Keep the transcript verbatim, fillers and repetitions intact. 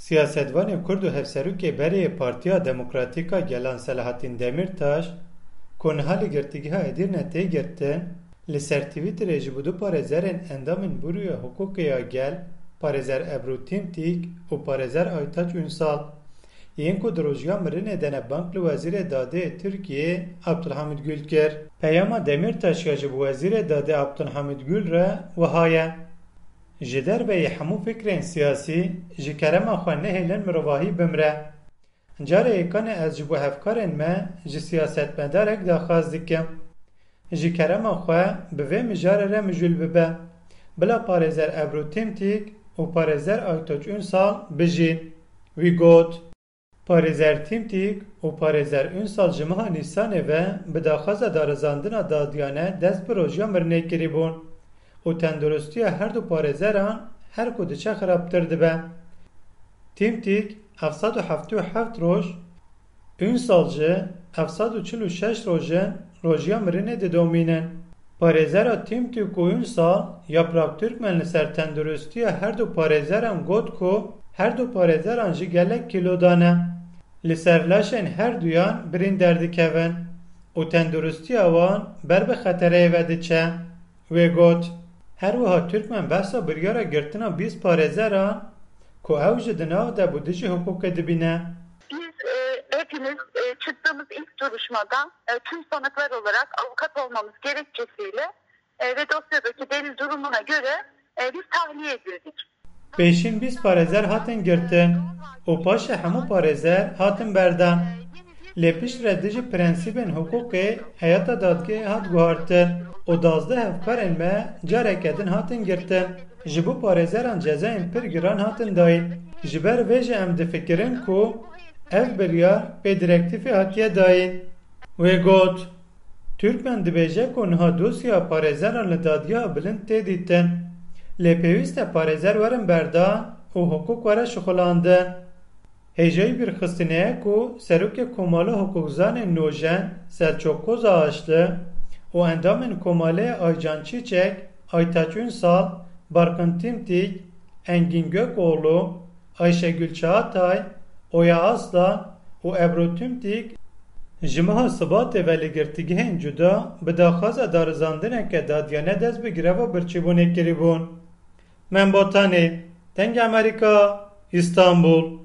Siyasetvanê Kurd û hevserokê berê yê Partiya Demokratîk a Gelan Selahattin Demirtaş, ku niha li girtîgeha Edirne tê girtin, li ser Twitterê ji bo du parêzerên endamên Buroya Hiqûqê ya Gel, parêzer Ebru Timtîk û parêzer Aytaç Ünsal, yên ku di rojiya mirinê de ne bang li Wezîrê Dadê yê Tirkiyê Abdulhamid Gül kir. Peyama Demirtaş ya ji bo Wezîrê Dadê Abdulhamid Gül re wiha ye: Ji derveyî hemû fikrên siyasî, ji kerema xwe nehêlin mirovahî bimre. Carê yekane ez ji bo hevkarên me ji siyasetmedarek daxwaz dikim. Ji kerema xwe bi vê mijarê re mijûl bibe. Bila parêzer Ebru Timtîk û parêzer Aytaç Ünsal bijîn. Wî got: Parêzer Timtîk û parêzer Ünsal ji meha Nîsanê ve bi daxwaza darizandina dadiyane dest bi rojiya mirinê kirîbûn û tenduristiya her du parêzeran her ku diçe xirabtir dibe. Timtîk heft sed û heftê û heft roj, Ünsal jî heft sed û çil û şeş roj in rojiya mirinê didomînin. Parêzera Timtîk û Ünsal, Yaprak Türkmen li ser tenduristiya her du parêzeran got ku her du parêzeran jî gelek kîlo dane. Li ser laşên her duyan birîn derdikevin û tenduristiya wan ber bi xetereyê ve diçe. Wê got: Her wiha Türkmen behsa biryara girtina bîst parêzeran ku ew jî di nav de bû dijî hiqûqê dibîne. Biz e, hepimiz e, çıktığımız ilk duruşmada e, tüm sanıklar olarak avukat olmamız gerekçesiyle e, ve dosyadaki delil durumuna göre e, biz tahliye edildik. Pêşîn bîst parêzer hatin girtin û paşê hemû parêzer hatin berdan. Lê piştre dijî prensîbên hiqûqê heyeta dadgehê hat guhartin û duwazdeh hevkarên me careke din hatin girtin. Ji bo parêzeran cezayên pir giran hatin dayîn. Ji ber vê jî em difikirin ku ev biryar pê direktîfê hatiye dayîn. Wê got: Türkmen dibêje ku niha dosyeya parêzeran li Dadgeha Bilind tê dîtin. Lê pêwîst e parêzer werin berdan û hiqûq were şixulandin. Hêjayî bîrxistinê ye ku Serokê Komala Hiqûqzanên Nojen Selçok Kozahaçlı û endamên Komalê Aycan Çiçek, Aytaç Ünsal, Barkın Timtik, Engin Gökoğlu, Ayşegül Çağatay, Oya Aslan û Ebru Timtik ji meha Sibatê ve li girtîgehên cuda bi daxwaza darizandineke dadiyane dest bi greva birçîbûnê kirîbûn. Membotanê, Dengê Amerîka, Îstanbul.